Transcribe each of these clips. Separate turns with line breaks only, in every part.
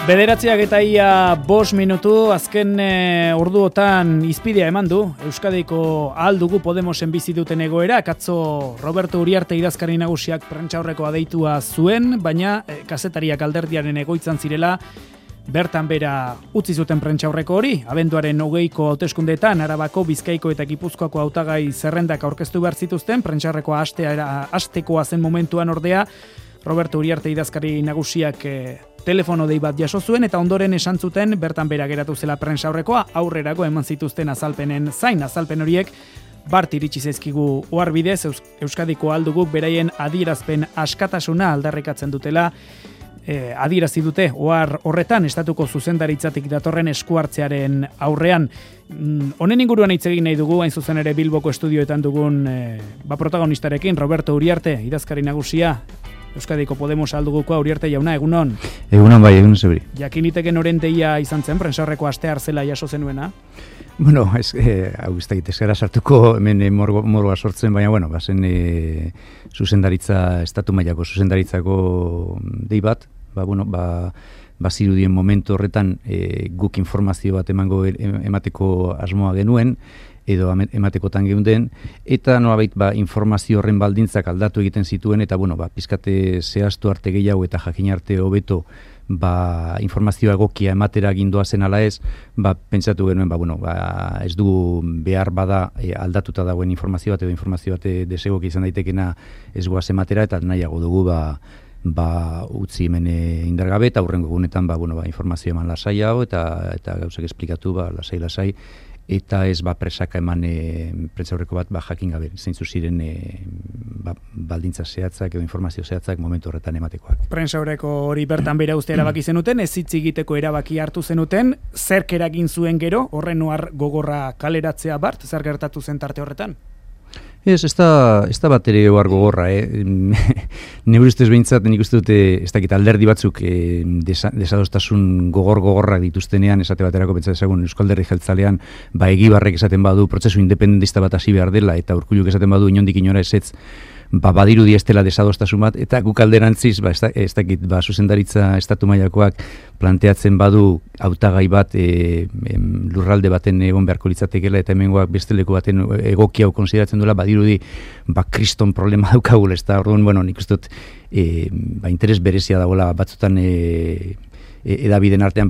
Bederatziak eta ia 5 minutu, azken orduotan izpidea eman du. Euskadiko aldugu Podemosen bizi duten egoera, atzo Roberto Uriarte idazkari nagusiak prentsaurrekoa deitua zuen, baina kazetariak alderdiaren egoitzan zirela, bertan bera utzi zuten prentsaurreko hori. Abenduaren 20ko hauteskundeetan Arabako, Bizkaiko eta Gipuzkoako hautagai zerrendak aurkeztu behar zituzten, prentsaurrekoa hastekoa zen momentuan ordea, Roberto Uriarte idazkari nagusiak telefono dei bat jaso zuen eta ondoren esan zuten bertan bera geratu zela prentsaurrekoa, aurrerago eman zituzten azalpenen zain. Azalpen horiek bart iritsi zaizkigu oharbidez, Euskadiko alduguk beraien adierazpen askatasuna aldarrikatzen dutela, adierazi dute ohar horretan estatuko zuzendaritzatik datorren eskuartzearen aurrean. Honen inguruan hitz egin nahi dugu, hain zuzen ere Bilboko estudioetan dugun protagonistarekin, Roberto Uriarte idazkari nagusia, Euskadiko Podemos aldugukoa. Uriarte jauna, egunon?
Egunon bai, egunon zebri.
Jakiniteken orenteia izan zen, prentsaurreko astear zela jaso zenuena?
Bueno, hau ez da gitezkera sartuko hemen morgoa sortzen, baina, bueno, bazen zuzendaritza, estatu mailako zuzendaritzako dei bat, bazirudien momentu horretan guk informazio bat emateko asmoa genuen, edo ematekotan geunden, eta nolabait informazio horren baldintzak aldatu egiten zituen, eta pizkate zehaztu arte gehiago eta jakin arte hobeto informazioa egokia ematera gindoa zen ala ez, pentsatu genuen, ez dugu behar bada aldatuta dagoen informazio bat, edo informazio bat desegoki izan daitekena ez goaz ematera, eta nahiago dugu utzi hemen indargabe, eta hurrengo egunetan informazio eman lasaiago, eta gauzak esplikatu lasai, eta ez presaka eman prentsaurreko bat jakin gabe, zeintzu ziren baldintza zehatzak edo informazio zehatzak momentu horretan ematekoak.
Prentsaurreko hori bertan bera uste erabaki zenuten, ez hitz egiteko erabaki hartu zenuten, zerk eragin zuen gero, horren ohar gogorra kaleratzea bart, zer gertatu zen tarte horretan?
Ez da bat ere ohar gogorra, Neure ustez behintzat, nik uste dute, ez dakit alderdi batzuk desadostasun gogorrak dituztenean, esate baterako pentsa dezagun Euskal Alderdi Jeltzalean, Egibarrek esaten badu prozesu independentista bat hasi behar dela, eta Urkulluk esaten badu inondik inora ezetz, badirudi ez dela desadostasun bat, eta guk alderantziz, ez dakit, zuzendaritza estatu mailakoak planteatzen badu hautagai bat lurralde baten egon beharko litzatekeela, eta hemengoak beste leku baten egoki hau konsideratzen duela, badirudi kriston problema daukagula, ez da, orduan, nik uste dut, interes berezia dagoela batzutan edabideen artean,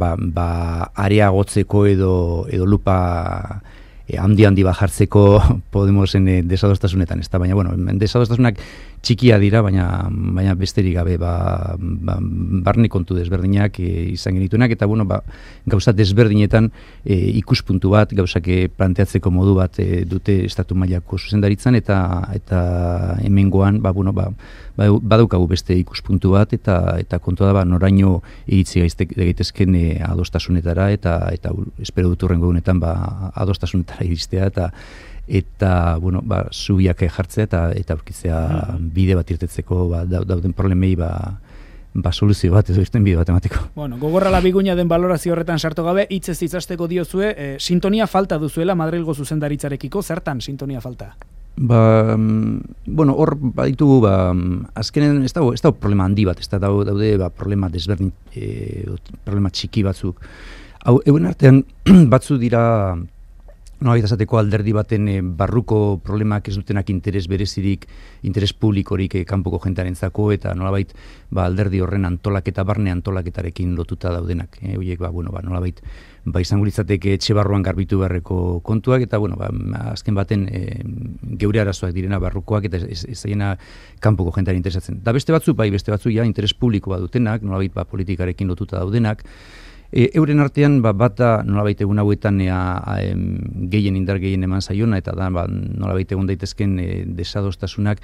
areagotzeko edo lupa handi bajartzeko Podemosen desadostasunetan, ez da, baina, desadostasunak txikia dira, baina besterik gabe, barne kontu desberdinak izan genituenak, eta, gauza desberdinetan ikuspuntu bat, gauzak planteatzeko modu bat dute estatu mailako zuzendaritzan, eta hemengoan, badaukagu beste ikuspuntu bat, eta kontua da, noraino iritzi gaitezken adostasunetara, eta espero dut hurrengo egunetan adostasunetara iristea, eta zubiak jartzea eta aurkitzea bide bat irtetzeko dauden problemei soluzio bat edo irten bide bat emateko.
Gogorra labiguina den balorazio horretan sartu gabe, hitzez itzasteko diozue, sintonia falta duzuela Madrilgo zuzendaritzarekiko, zertan sintonia falta? Hor baditugu, azkenen ez dago problema handi bat, ez daude problema desberdin, problema txiki batzuk. Egun artean batzu dira nolabait esateko alderdi baten barruko problemak ez dutenak interes berezirik, interes publikorik kanpoko jentearentzako, eta nolabait alderdi horren antolaketa, barne antolaketarekin lotuta daudenak. Horiek nolabait izango litzateke etxe barruan garbitu beharreko kontuak, eta azken baten geure arazoak direna barrukoak, eta ez zaiena kanpoko jentearen interesatzen. Da beste batzuk interes publiko bat dutenak, nolabait politikarekin lotuta daudenak. Euren artean bat da nolabait egun hauetan indar gehien eman zaiona, eta da nolabait egun daitezken desadostasunak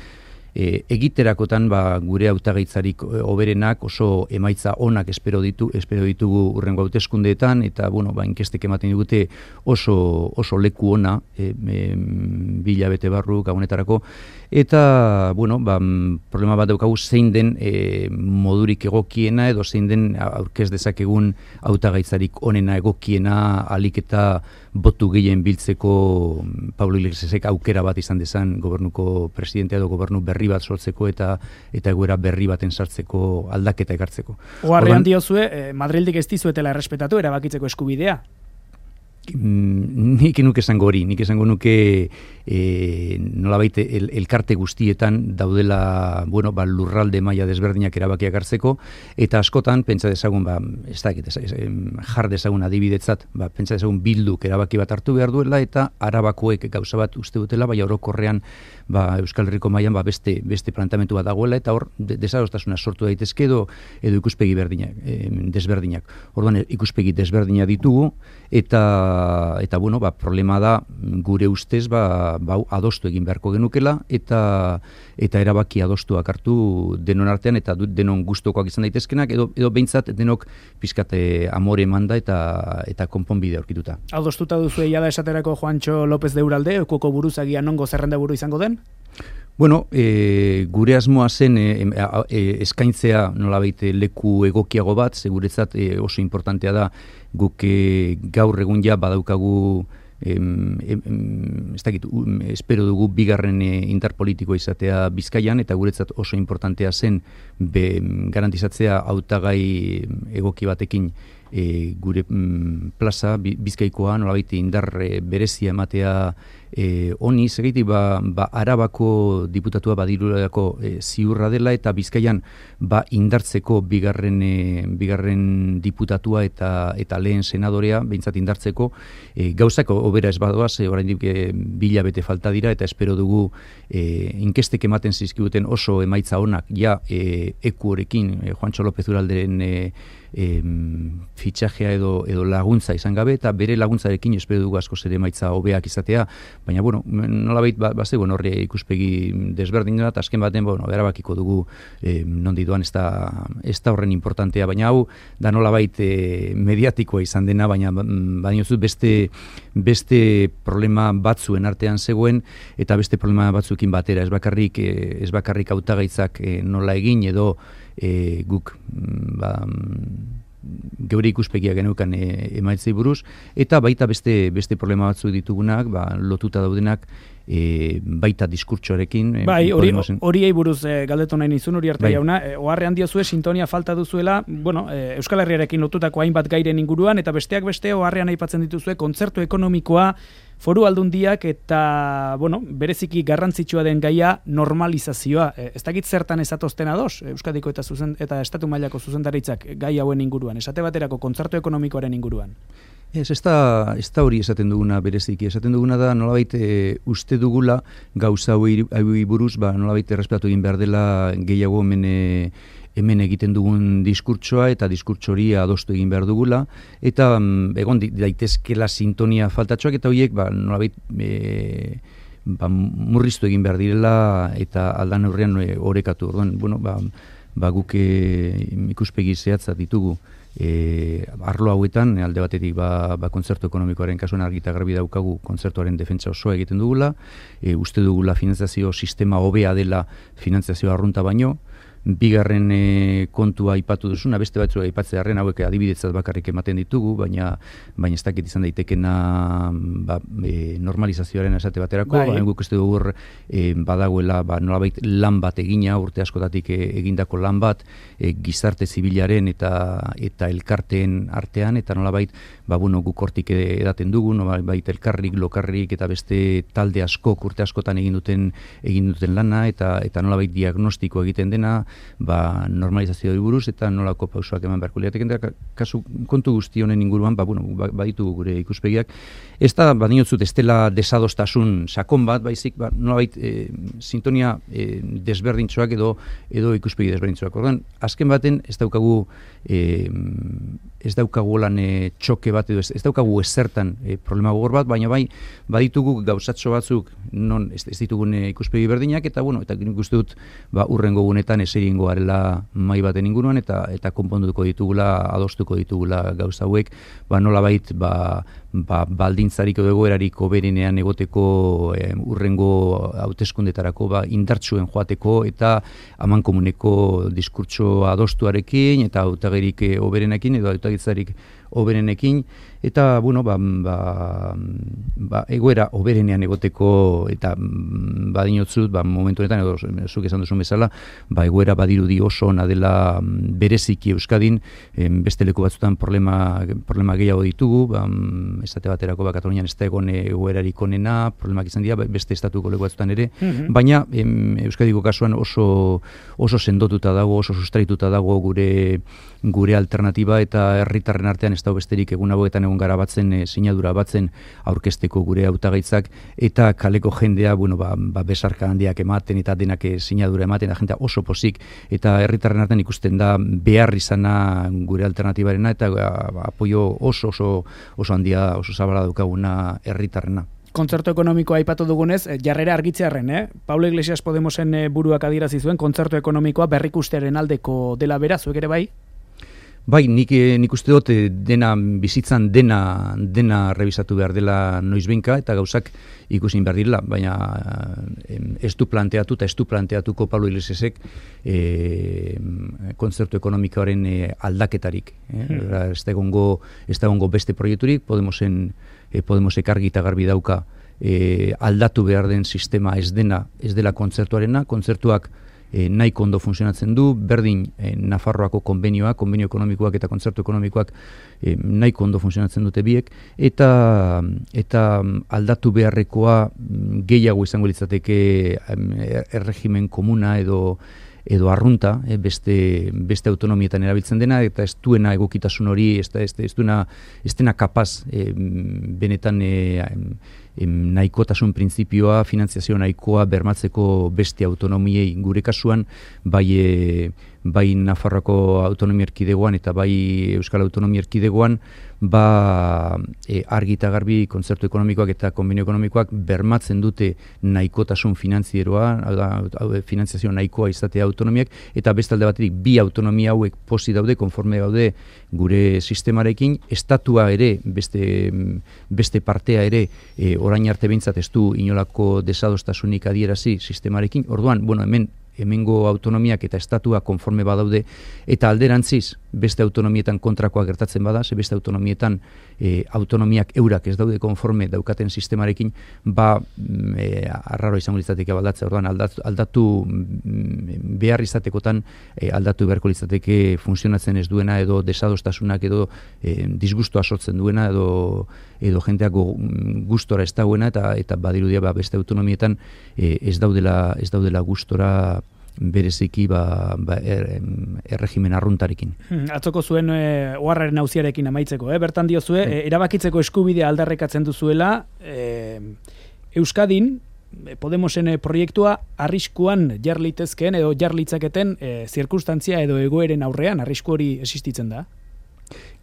egiterakotan gure hautagaitzarik hoberenak oso emaitza onak espero ditugu hurrengo hauteskundeetan, eta inkestek ematen digute oso leku ona 2 hilabete barru gabonetarako,
eta, bueno, problema bat daukagu zein den modurik egokiena edo zein den aurkez dezakegun hautagaitzarik onena egokiena alik eta botu gehien biltzeko Pablo Iglesiasek aukera bat izan dezan gobernuko presidentea edo gobernu berri bat sortzeko eta egoera berri baten sartzeko aldaketa ekartzeko.
Oharrean diozue, Madrildik ez dizuetela errespetatu erabakitzeko eskubidea?
Nik esango nuke nolabait elkarte guztietan daudela lurralde maila desberdinak erabakiak hartzeko, eta askotan pentsa dezagun jar dezagun adibidetzat, pentsa dezagun Bilduk erabaki bat hartu behar duela eta Arabakoek gauza bat uste dutela, bai orokorrean Euskal Herriko mailan beste plantamentu bat dagoela, eta hor desadostasuna sortu daitezke edo ikuspegi desberdinak. Orduan ikuspegi desberdinak ditugu eta problema da gure ustez adostu egin beharko genukela eta erabaki adostuak hartu denon artean eta denon gustokoak izan daitezkenak edo behintzat denok pizkat amore emanda eta konponbide aurkituta.
Adostuta duzu da esaterako Juancho López de Uralde, Ekuoko buruzagia nongo zerrenda buru izango den?
Bueno, gure asmoa zen eskaintzea nolabait leku egokiago bat, seguretzat oso importantea da guk gaur egun ja badaukagu espero dugu bigarren interpolitikoa izatea Bizkaian, eta guretzat oso importantea zen garantizatzea hautagai egoki batekin gure plaza Bizkaikoa nolabait indar berezia ematea honi, segeitik Arabako diputatua badirurako ziurra dela eta Bizkaian indartzeko bigarren diputatua eta lehen senadorea behintzat indartzeko gauzako obera ez badoaz, oraindik 2 hilabete falta dira eta espero dugu inkestek ematen zizkibuten oso emaitza onak ja ekuorekin Juancho López Uralderen fitxajea edo laguntza izan gabe, eta bere laguntzarekin espero dugu askoz ere emaitza hobeak izatea, baina nolabait bazegoen horre ikuspegi desberdina eta azken baten erabakiko dugu nondi doan ez da horren importantea, baina hau da nolabait mediatikoa izan dena, baina beste problema batzuen artean zegoen eta beste problema batzuekin batera, ez bakarrik hautagaitzak nola egin edo guk geure ikuspegia geneukan emaitzei buruz, eta baita beste problema batzu ditugunak, lotuta daudenak baita diskurtsoarekin.
Bai, horiei buruz galdetu nahi nizun, Uriarte jauna, oharrean diozue sintonia falta duzuela, Euskal Herriarekin lotutako hainbat gairen inguruan, eta besteak beste oharrean aipatzen dituzue kontzertu ekonomikoa, Foru Aldundiak eta, bereziki garrantzitsua den gaia normalizazioa. Ez dakit zertan ezatozten ados, Euskadiko eta Estatu mailako zuzendaritzak gai hauen inguruan, esate baterako kontzertu ekonomikoaren inguruan.
Ez da hori esaten duguna bereziki, esaten duguna da nolabait uste dugula gauza hauei buruz, nolabait errespetatu egin behar dela gehiago hemen egiten dugun diskurtsoa eta diskurtso hori adostu egin behar dugula, eta egon daitezkela sintonia faltatxoak eta horiek nolabait murriztu egin behar direla eta aldan aurrean orekatu. Orduan, guk ikuspegi zehatza ditugu arlo hauetan, alde batetik kontzertu ekonomikoaren kasuan argi eta garbi daukagu kontzertuaren defentsa osoa egiten dugula, uste dugula finantzazio sistema hobea dela finantzazio arrunta baino, bigarren kontua aipatu duzuna, beste batzua aipatzearren hauek adibidetzat bakarrik ematen ditugu, baina ez dakit izan daitekena normalizazioaren esate baterako, guk ez dugu badagoela nolabait lan bat egina, urte askotatik egindako lan bat, gizarte zibilaren eta elkarteen artean, eta nolabait guk hortik edaten dugu, nolabait elkarrik, lokarrik eta beste talde askok urte askotan egin duten lana, eta nolabait diagnostiko egiten dena, normalizazioari buruz eta nolako pausoak eman beharko lirateke, kasu kontu guzti honen inguruan baditugu gure ikuspegiak. Ez da, badinotzut, ez dela desadostasun sakon bat, baizik, nolabait sintonia desberdintxoak edo ikuspegi desberdintxoak. Orduan, azken baten ez daukagu lan txoke bat edo ez daukagu ezertan problema gogor bat, baina baditugu gauzatxo batzuk non ez ditugun ikuspegi berdinak, eta nik uste dut urrengo gunetan eseringo garela mai baten inguruan eta konponduko ditugula, adostuko ditugula gauza hauek, nolabait baldintzarik edo egoerarik hoberenean egoteko urrengo hauteskundetarako indartsuen joateko eta amankomuneko diskurtso adostuarekin eta hautagirik hoberenekin edo hautagitzarik hoberenekin eta egoera hoberenean egoteko eta badinotzut momentu honetan edo zuk esan duzun bezala egoera badirudi oso ona dela bereziki Euskadin beste leku batzutan problema gehiago ditugu estate baterako Katalunian ez da egon egoerarik onena problemak izan dira beste estatuko leku batzutan ere baina Euskadiko kasuan oso sendotuta dago oso sustraituta dago gure alternatiba eta herritarren artean ez dago besterik egun hauetan egon gara batzen sinadura batzen aurkezteko gure hautagaitzak eta kaleko jendea besarka handiak ematen eta denak sinadura ematen da jendea oso pozik eta herritarren artean ikusten da behar izana gure alternatibarena eta apoio oso handia oso zabala daukaguna herritarrena.
Kontzertu ekonomikoa aipatu dugunez, jarrera argitzearren, Pablo Iglesias Podemosen buruak adierazi zuen kontzertu ekonomikoa berrikustearen aldeko dela bera, zuek ere bai?
Bai, nik uste dut bizitzan dena revisatu behar dela noizbehinka eta gauzak ikusin behar direla, baina ez du planteatuko Pablo Iglesiasek kontzertu ekonomikoaren aldaketarik. Ez da egongo beste proiekturik, Podemosek argi eta garbi dauka aldatu behar den sistema ez dela kontzertuarena, kontzertuak nahiko ondo funtzionatzen du, berdin Nafarroako konbenio ekonomikoak eta kontzertu ekonomikoak nahiko ondo funtzionatzen dute biek, eta aldatu beharrekoa gehiago izango litzateke erregimen komuna edo arrunta, beste autonomietan erabiltzen dena, eta ez duena egokitasun hori, ez dena kapaz benetan nahikotasun printzipioa, finantziazio nahikoa bermatzeko beste autonomiei gure kasuan, bai Nafarroako autonomia erkidegoan eta bai Euskal Autonomia erkidegoan, argi eta garbi kontzertu ekonomikoak eta konbenio ekonomikoak bermatzen dute nahikotasun finantzieroa, finantziazio nahikoa izatea autonomiak, eta beste alde batetik bi autonomia hauek posi daude, konforme daude gure sistemarekin, estatua ere, beste partea ere, orain arte behintzat ez du inolako desadostasunik adierazi sistemarekin, orduan, hemengo autonomiak eta estatua konforme badaude, eta alderantziz beste autonomietan kontrakoa gertatzen bada, beste autonomietan autonomiak eurak ez daude konforme daukaten sistemarekin, arraro izango litzateke aldatzea, orduan aldatu behar izatekotan aldatu beharko litzateke funtzionatzen ez duena edo desadostasunak edo disgustoa sortzen duena edo jenteak gustora ez dauena eta badirudia beste autonomietan ez daudela gustora bereziki erregimen arruntarekin.
Atzoko zuen oharraren auziarekin amaitzeko, bertan diozue, erabakitzeko eskubidea aldarrekatzen duzuela, Euskadin, Podemosen proiektua arriskuan jar litezkeen edo jar litzaketen zirkunstantzia edo egoeren aurrean, arrisku hori existitzen da?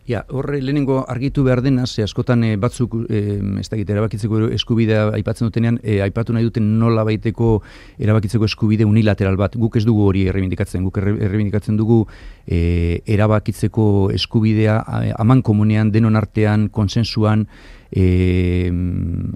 Horre lehenengo argitu behar dena, askotan batzuk erabakitzeko eskubidea aipatzen dutenean, aipatu nahi duten nola baiteko erabakitzeko eskubide unilateral bat. Guk ez dugu hori errebindikatzen, guk errebindikatzen dugu erabakitzeko eskubidea amankomunean, denon artean, konsensuan,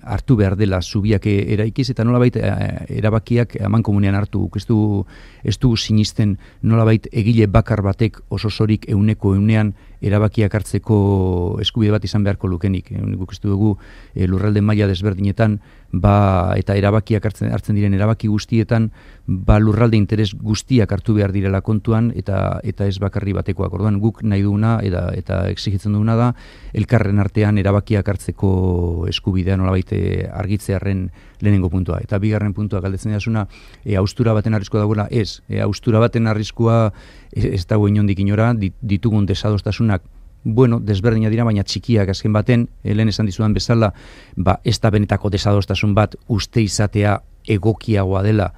hartu behar dela zubiak eraikiz eta nolabait erabakiak amankomunean hartu. Ez du sinisten nolabait egile bakar batek ososorik euneko eunean erabakiak hartzeko eskubide bat izan beharko lukenik. Guk ez dugu lurralde maila desberdinetan eta erabakiak hartzen diren erabaki guztietan lurralde interes guztiak hartu behar direla kontuan eta ez bakarri batekoak. Orduan guk nahi duguna eta exigitzen duguna da elkarren artean erabakiak hartzeko eskubidea nolabait argitzearren lehenengo puntua. Eta bigarren puntua galdetzen dasuna, haustura baten arriskua dagoela, ez. Haustura baten arriskua ez dago inondik inora, ditugun desadostasunak desberdina dira, baina txikiak azken baten, lehen esan dizudan bezala, ez da benetako desadostasun bat uste izatea egokiagoa dela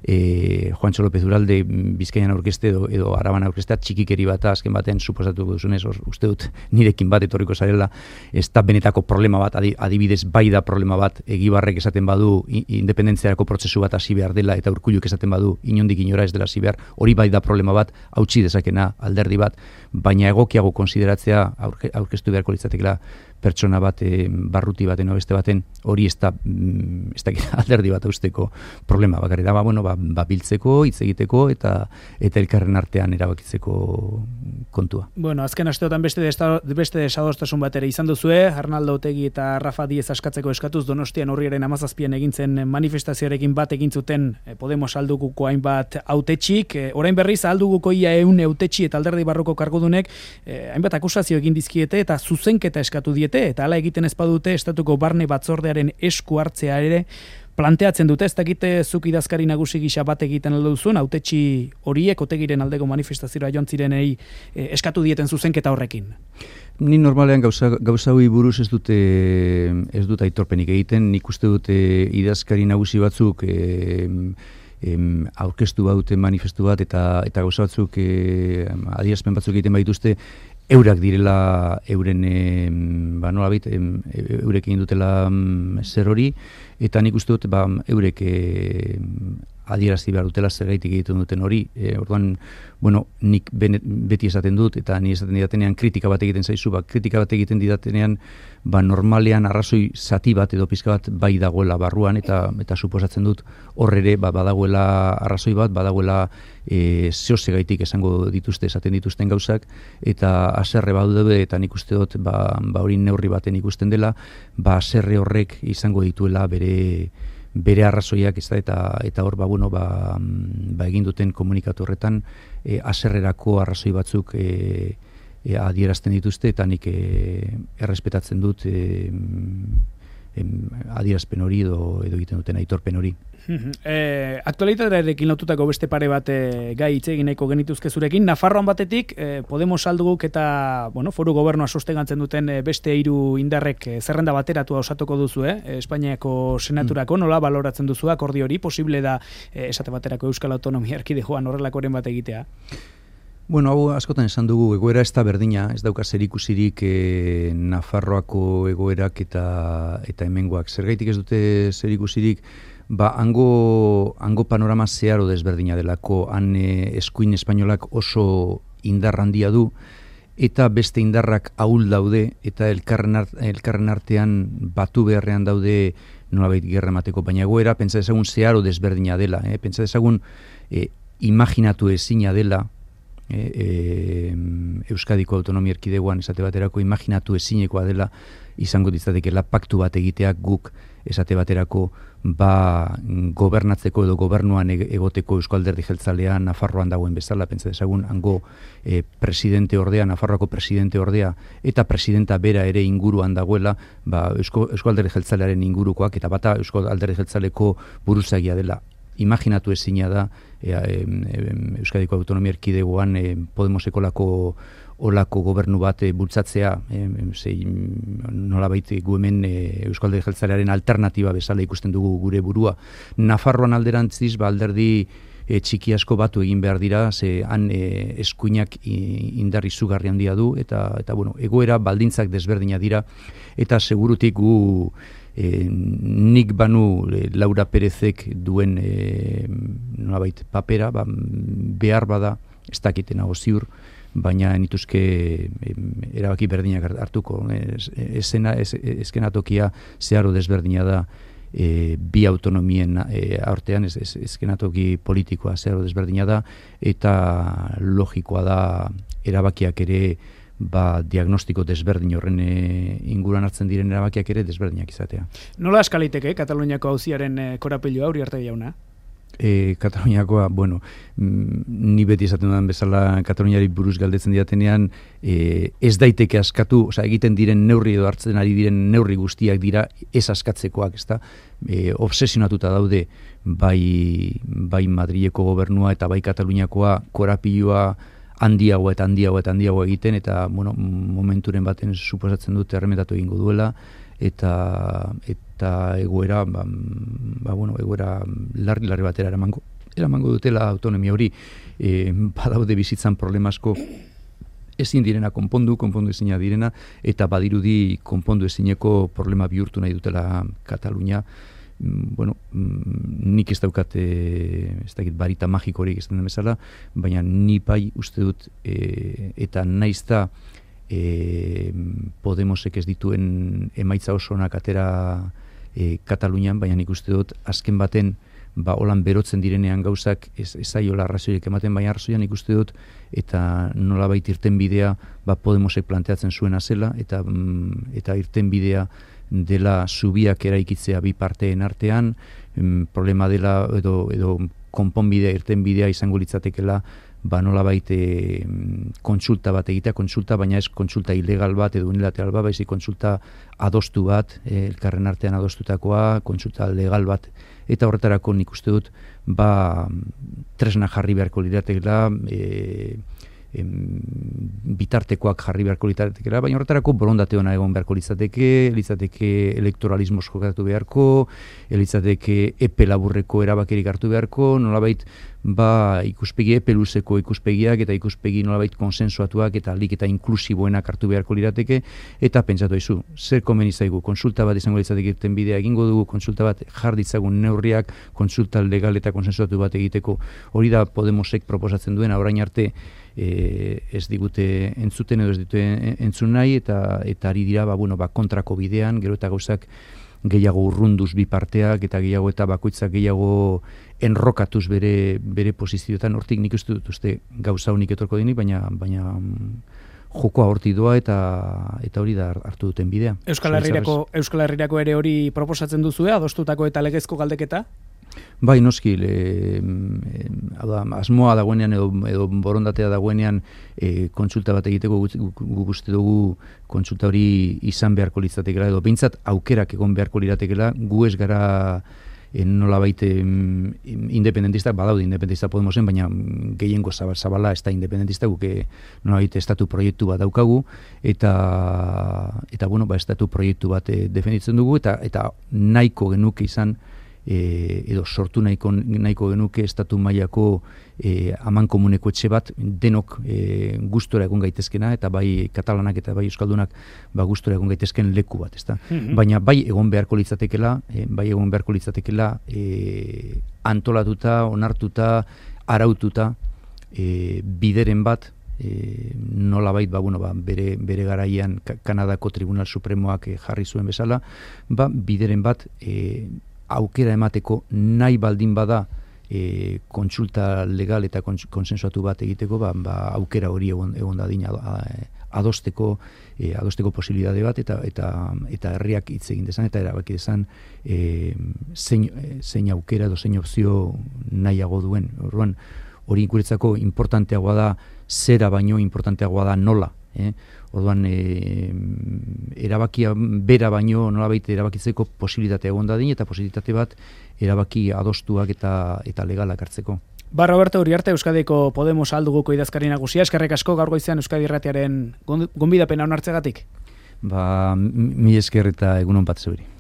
Juantxo López Uralde Bizkaian aurkezte edo Araban aurkeztea txikikeri bat azken baten suposatuko duzunez, uste dut nirekin bat etorriko zarela, ez da benetako problema bat, adibidez bai da problema bat, Egibarrek esaten badu independentziarako prozesu bat hasi behar dela eta Urkulluk esaten badu inondik inora ez dela hasi behar, hori bai da problema bat, hautsi dezakena alderdi bat, baina egokiago konsideratzea aurkeztu beharko litzatekela pertsona bat barruti baten o beste baten, hori ez da alderdi bat usteko problema bakarrik da, biltzeko, hitz egiteko eta elkarren artean erabakitzeko kontua.
Bueno, azken asteotan beste desadostasun bat ere izan duzue, Arnaldo Otegi eta Rafa Diez askatzeko eskatuz Donostian urriaren 17an egin zen manifestazioarekin bat egin zuten Podemos alduguko hainbat hautetxik, orain berriz alduguko ia 100 hautetxi eta alderdi barruko kargudunek hainbat akusazio egin dizkiete eta zuzenketa eskatu diete, eta hala egiten ez badute estatuko barne batzordearen esku hartzea ere planteatzen dute. Ez dakite zuk idazkari nagusi gisa bat egiten aldo duzun, hautetxi horiek Otegiren aldeko manifestazioa joan zirenei eskatu dieten zuzenketa horrekin.
Ni normalean gauza hori buruz ez dut aitorpenik egiten, nik uste dute idazkari nagusi batzuk aurkeztu baute manifestu bat eta gauza batzuk adierazpen batzuk egiten baituzte, eurak direla euren nolabait eurek egin dutela zer hori, eta nik uste dut eurek adierazi behar dutela zergaitik egiten duten hori. Orduan, nik beti esaten dut, eta ni esaten didatenean kritika bat egiten zaizu, kritika bat egiten didatenean, normalean arrazoi zati bat edo pizka bat bai dagoela barruan, eta suposatzen dut horre badagoela arrazoi bat, badagoela zehozegaitik esango dituzte, esaten dituzten gauzak, eta haserre badaude, eta nik uste dut, hori neurri baten ikusten dela, haserre horrek izango dituela bere arrazoiak, eta hor egin duten komunikatu horretan haserrerako arrazoi batzuk adierazten dituzte, eta nik errespetatzen dut adierazpen hori edo egiten duten aitorpen hori.
Aktualitatearekin lotutako beste pare bat gai hitz egin nahiko genituzke zurekin. Nafarroan batetik Podemos alduguk eta foru gobernua sostengatzen duten beste 3 indarrek zerrenda bateratua osatuko duzu, Espainiako senaturako, nola baloratzen duzu akordio hori? Posible da esate baterako Euskal Autonomia Erkidegoan horrelakoren bat egitea?
Hau askotan esan dugu, egoera ez da berdina, ez dauka zerikusirik Nafarroako egoerak eta hemengoak. Zergaitik ez dute zerikusirik, hango panorama zeharo desberdina delako, han eskuin espainolak oso indar handia du, eta beste indarrak ahul daude, eta elkarren artean batu beharrean daude nolabait gerra emateko, baina egoera, pentsa dezagun zeharo desberdina dela, pentsa dezagun imaginatu ezina dela, Euskadiko Autonomia Erkidegoan esate baterako imaginatu ezinekoa dela izango ditzatekela paktu bat egiteak guk esate baterako gobernatzeko edo gobernuan egoteko Eusko Alderdi Jeltzalea Nafarroan dagoen bezala, pentsa dezagun hango presidente ordea, Nafarroako presidente ordea eta presidenta bera ere inguruan dagoela, Eusko Alderdi Jeltzalearen ingurukoak eta bata Eusko Alderdi Jeltzaleko buruzagia dela. Imaginatu ezina da Euskadiko Autonomia Erkidegoan Podemoseko olako gobernu bat bultzatzea, nolabait gu hemen Eusko Alderdi Jeltzalearen alternatiba bezala ikusten dugu gure burua. Nafarroan alderantziz, alderdi txiki asko batu egin behar dira, ze han eskuinak indar izugarri handia du, eta egoera baldintzak desberdina dira, eta segurutik gu nik banu Laura Perezek duen nolabait papera, behar bada, ez dakiten hau ziur, baina nituzke erabaki berdinak hartuko. Eskenatokia zeharo desberdina da bi autonomien artean, eskenatoki politikoa zeharo desberdina da, eta logikoa da erabakiak ere diagnostiko desberdin horren inguruan hartzen diren erabakiak ere desberdinak izatea.
Nola eskaliteke Kataluniako auziaren korapilua Uriarte jauna?
Kataluniakoa, ni beti esaten dudan bezala Kataluniari buruz galdetzen diatenean, ez daiteke askatu, egiten diren neurri edo hartzen ari diren neurri guztiak dira ez askatzekoak, ezta? Obsesionatuta daude bai Madrileko gobernua eta bai Kataluniakoa korapilua handiago eta handiago egiten, eta momenturen baten suposatzen dut erremetatu egingo duela, eta egoera egoera larri batera eramango dutela autonomia hori. Badaude bizitzan problemasko ezin direna konpondu ezina direna, eta badirudi konpondu ezineko problema bihurtu nahi dutela Katalunia. Nik ez daukat ez dakit barita magikorik ez den bezala, baina ni bai uste dut eta naizta Podemosek ez dituen emaitza oso onak atera Katalunian, baina nik uste dut azken baten holan berotzen direnean gauzak ez zaiola arrazoirik ematen, baina arrazoian nik uste dut eta nolabait irtenbidea Podemosek planteatzen zuena zela eta irtenbidea dela zubiak eraikitzea bi parteen artean, problema dela edo konponbidea, irtenbidea izango litzatekela nolabait kontsulta bat egitea, baina ez kontsulta ilegal bat edo unilateral bat, baizik kontsulta adostu bat, elkarren artean adostutakoa, kontsulta legal bat, eta horretarako nik uste dut tresna jarri beharko liratekela, bitartekoak jarri beharko litzatekela, baina horretarako borondate ona egon beharko litzateke elektoralismo jokatu beharko, litzateke epe laburreko erabakirik hartu beharko, nolabait ikuspegi epe luzeko ikuspegiak eta ikuspegi nolabait konsensuatuak eta alik eta inklusiboenak hartu beharko lirateke, eta pentsatu aizu, zer komeni zaigu, konsulta bat izango litzateke irtenbidea egingo dugu, konsulta bat jar ditzagun neurriak, konsulta legal eta konsensuatu bat egiteko, hori da Podemosek proposatzen duen, orain arte ez digute entzuten edo ez dute entzun nahi eta ari dira kontrako bidean, gero eta gauzak gehiago urrunduz bi parteak eta gehiago eta bakoitzak gehiago enrokatuz bere posizioetan, hortik nik uste gauza honik etorko denik, baina jokoa hortik doa eta hori da hartu duten bidea.
Euskal Herrirako ere hori proposatzen duzue, adostutako eta legezko galdeketa?
Bai, noski, asmoa dagoenean edo borondatea dagoenean kontsulta bat egiteko guk uste dugu kontsulta hori izan beharko litzatekela edo behintzat aukerak egon beharko liratekela, gu ez gara nolabait independentistak, badaude independentistak Podemosen, baina gehiengo zabala ez da independentista, guk nolabait estatu proiektu bat daukagu eta estatu proiektu bat defenditzen dugu eta nahiko genuke izan edo sortu nahiko genuke estatu mailako amankomuneko etxe bat denok gustora egon gaitezkena eta bai katalanak eta bai euskaldunak gustora egon gaitezken leku bat, ezta? Baina bai egon beharko litzatekela, antolatuta, onartuta, araututa bideren bat nolabait bere garaian Kanadako Tribunal Supremoak jarri zuen bezala, bideren bat aukera emateko nahi baldin bada kontsulta legal eta konsensuatu bat egiteko, aukera hori egon dadin adosteko posibilitate bat eta herriak hitz egin dezan eta erabaki dezan zein aukera edo zein opzio nahiago duen. Orduan, hori guretzako importanteagoa da zera baino importanteagoa da nola. Orduan, erabakia bera baino nolabait erabakitzeko posibilitatea egon dadin eta posibilitate bat erabaki adostuak eta legalak hartzeko.
Roberto Uriarte, Euskadiko Podemos alduguko idazkari nagusia, eskerrik asko gaur goizean Euskadi Irratiaren gonbidapena onartzegatik.
Mi esker eta egunon bat zeuri.